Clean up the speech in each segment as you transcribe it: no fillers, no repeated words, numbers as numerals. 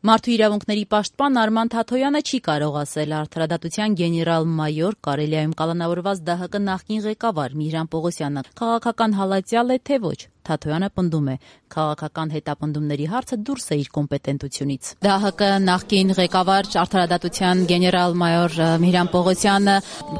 Մարդու իրավունքների պաշտպան Արման Թաթոյանը չի կարող ասել արդարադատության գեներալ-մայոր Կարելիայում կալանավորված ԴՀԿ նախկին ղեկավար Միհրան Պողոսյանը քաղաքական հալածյալ է, թե ոչ։ Թաթոյանը պնդում է, քաղաքական հետապնդումների հարցը դուրս է իր կոմպետենտությունից։ ԴՀԿ նախկին ղեկավար արդարադատության գեներալ-մայոր Միհրան Պողոսյանը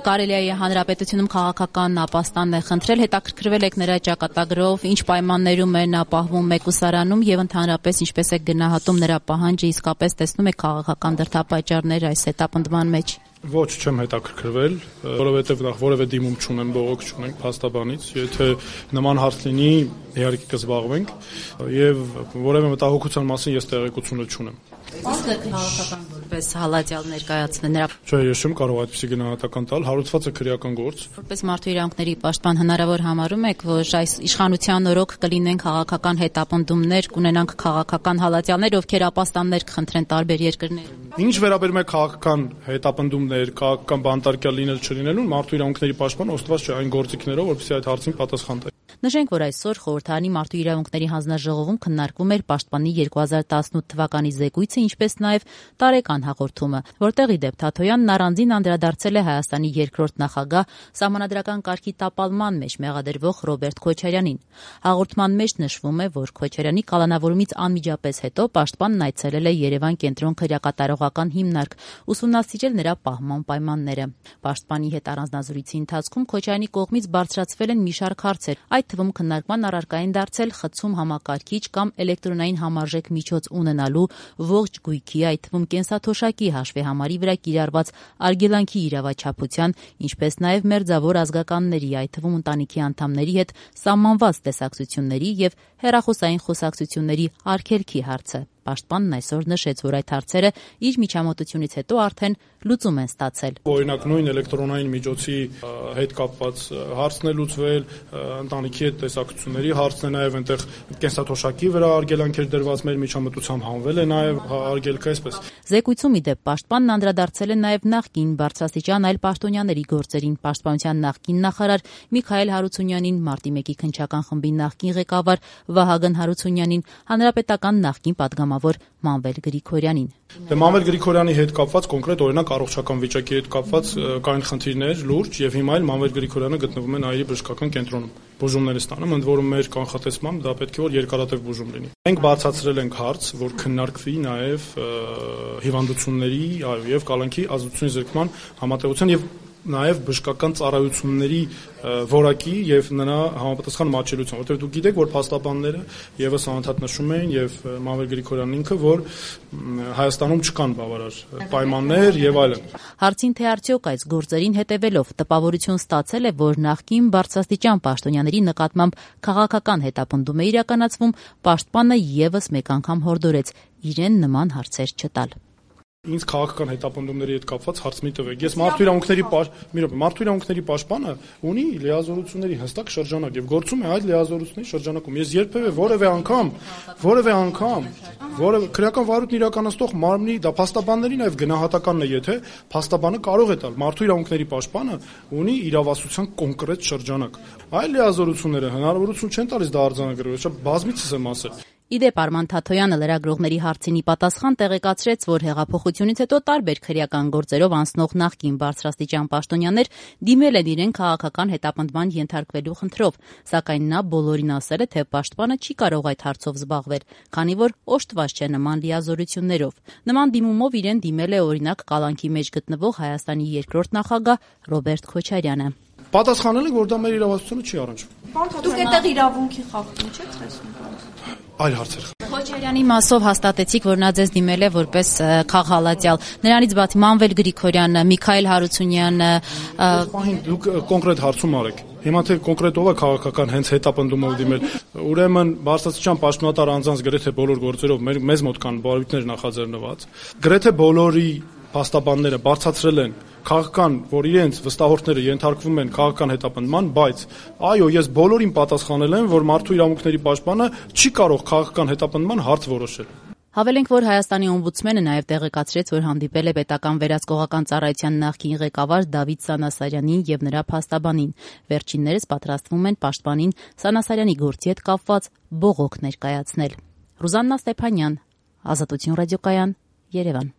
Կարելիայի հանրապետությունում քաղաքական ապաստան է խնդրել, հետաքրքրվել եք նրա ճակատագրով, ինչ պայմաններում է նա պահվում մեկուսարանում եւ ընդհանրապես ինչպես է գնահատում նրա պահանջը, իսկապես տեսնում եք քաղաքական դրդապատճառներ այս հետապնդման մեջ։ Ոչ, չեմ հետաքրքրվել, որովհետև նախ որևէ դիմում չունեմ, բողոք չունենք փաստաբանից, եթե նման հարց լինի, իհարկե կզբաղվենք եւ որևէ մտահոգության մասին ես տեղեկությունը չունեմ։ Իսկ քաղաքական որպես հալածյալ ներկայացնել նրա։ Չէ, ես չեմ կարող այդպիսի գնահատական տալ, հարուցված է քրեական գործ։ Որպես մարդու իրավունքների պաշտպան հնարավոր համարում եք, որ այս իշխանության օրոք կլինեն քաղաքական հետապնդումներ, կունենանք քաղաքական հալածյալներ, ովքեր ապաստաններ կխնդրեն տարբեր երկրներում։ Ինչ վերաբերում է քաղաքական հետապնդումներ, քաղաքական բանտարկյալ լինել չլինելուն, մարդու իրավունքների պաշտպան օժտված չէ այն գործիքներով, որպեսզի այդ հարցին պատասխան տա։ Նշենք, որ այսօր Խորհրդարանի մարդու իրավունքների հանձնաժողովում քննարկվում էր Պաշտպանի 2018 թվականի զեկույցը, ինչպես նաև տարեկան հաղորդումը, որտեղ ի դեպ Թաթոյանն առանձին անդրադարձել է Հայաստանի երկրորդ նախագահ Սահմանադրական կարգի տապալման մեջ մեղադրվող Ռոբերտ Քոչարյանին։ Հաղորդման մեջ նշվում է, որ Քոչարյանի կալանավորումից անմիջապես հետո Պաշտպանն այցելել է Երևան կենտրոն քրեակատարողական հիմնարկ, ուսումնասիրել նրա պահման պայմանները։ Պաշտպանի հետ առանձնազրույցի ընթացքում Քոչարյանի կողմից բարձրացվել են մի շարք հարցեր, այդ թվում քննարկման առարկային դարձել խցում համակարգիչ կամ էլեկտրոնային համարժեք միջոց ունենալու, ողջ գույքի, այդ թվում կենսաթոշակի հաշվեհամարի վրա կիրառված արգելանքի իրավաչափության, ինչպես նաև մերձավոր ազգականների, այդ թվում ընտանիքի անդամների հետ սահմանված տեսակցությունների եւ հեռախոսային խոսակցությունների արգելքի հարցը։ Պաշտպանն այսօր նշեց, որ այդ հարցերը իր միջամտությունից հետո արդեն լուծում են ստացել։ Օրինակ նույն էլեկտրոնային միջոցի հետ կապված հարցն է լուծվել, ընտանիքի հետ տեսակցությունների հարցն է, նաև այնտեղ կենսաթոշակի վրա արգելանքեր դրված մեր միջամտությամբ հանվել է նաև արգելքը այսպես։ Զեկույցում ի դեպ Պաշտպանն անդրադարձել է նաև նախկին բարձրաստիճան այլ պաշտոնյաների գործերին, Պաշտպանության նախկին նախարար Միքայել Հարությունյանին, Մարտի 1-ի քննչական խմբի նախկին ղեկավար Վահագն Հարությունյանին, հանրապետական նախկին պատգամավոր Մանվել Գրիգորյանին։ Մանվել Գրիգորյանի հետ կապված կոնկրետ օրինակ առողջական վիճակի հետ կապված կային խնդիրներ լուրջ եւ հիմա էլ Մանվել Գրիգորյանը գտնվում է Նաիրի բժշկական կենտրոնում։ Բուժումներ ստանում, ընդ որում մեր կանխատեսմամբ դա պետք է որ երկարատև բուժում լինի։ Մենք բացատրել ենք հարց, որ քննարկվի նաեւ հիվանդությունների եւ կալանքի ազդեցությունների զրկման համատեղության եւ նաև բժշկական ծառայությունների որակի եւ նրա համապատասխան մատչելիության, որտեղ դուք գիտեք, որ փաստաբանները եւս անընդհատ նշում են եւ Մանվել Գրիգորյանն ինքը, որ Հայաստանում չկան բավարար պայմաններ եւ այլն։ Հարցին թե արդյոք այս գործերին հետևելով տպավորություն ստացել է, որ նախկին բարձրաստիճան պաշտոնյաների նկատմամբ քաղաքական հետապնդում է իրականացվում, Պաշտպանը եւս մեկ անգամ հորդորեց իրեն նման հարցեր չտալ։ Ինձ քաղաքական հետապնդումների հետ կապված հարց մի տվեք։ Ես մարդու իրավունքների պաշտպանը ունի լիազորությունների հստակ շրջանակ եւ գործում է այդ լիազորությունների շրջանակում։ Ես երբեւե որևէ անգամ քրեական վարույթն իրականացնող մարմնի դա փաստաբանների նաեւ գնահատականն է, եթե փաստաբանը կարող է տալ մարդու իրավունքների պաշտպանը ունի իրավասության կոնկրետ շրջանակ։ Այլ լիազորությունները հնարավորություն չեն տալիս դա արձանագրել, շատ բազմիցս եմ ասել։ Իդեպ Արման Թաթոյանը լրագրողների հարցինի պատասխան տեղեկացրեց, որ հեղափոխությունից հետո տարբեր քրեական գործերով անցնող նախկին բարձրաստիճան պաշտոնյաներ դիմել են իրեն քաղաքական հետապնդման ենթարկվելու խնդրով, սակայն նա բոլորին ասել է, թե պաշտպանը չի կարող այդ հարցով զբաղվել, քանի որ օժտված չէ նման լիազորություններով։ Նման դիմումով իրեն դիմել է օրինակ կալանքի մեջ գտնվող Հայաստանի երկրորդ նախագահ Ռոբերտ Քոչարյանը։ Պատասխանել ենք, որ դա մեր իրավասությունը չի առնչվում։ Դուք այդտեղ իրավունքի խախտում չեք տեսնում։ Այլ հարցեր։ Քոչարյանի մասով հաստատեցիք, որ նա ձեզ դիմել է որպես քաղհալածյալ։ Նրանից բացի Մանվել Գրիգորյանը, Միքայել Հարությունյանը, դուք կոնկրետ հարցում արեք։ Հիմա թե կոնկրետ ով է քաղաքական հենց հետապնդումով դիմել, ուրեմն բարձրաստիճան պաշտոնատար անձանց գրեթե բոլոր գործերով մեզ մոտ կան բարույթներ նախաձեռնված։ Գրեթե բոլորի փաստաբանները բարձրացրել են քաղաքական, որ իրենց վստահորդները ենթարկվում են քաղաքական հետապնդման, բայց այո, ես բոլորին պատասխանել եմ, որ մարդու իրավունքների պաշտպանը չի կարող քաղաքական հետապնդման հարց որոշել։ Հավելենք, որ Հայաստանի օմբուդսմենը նաև տեղեկացրեց, որ հանդիպել է պետական վերահսկողական ծառայության նախկին ղեկավար Դավիթ Սանասարյանին եւ նրա փաստաբանին։ Վերջիններս պատրաստվում են պաշտպանին Սանասարյանի գործի հետ կապված բողոք ներկայացնել։ Ռուզաննա Ստեփանյան, Ազատություն ռադիոկայան, Երևան։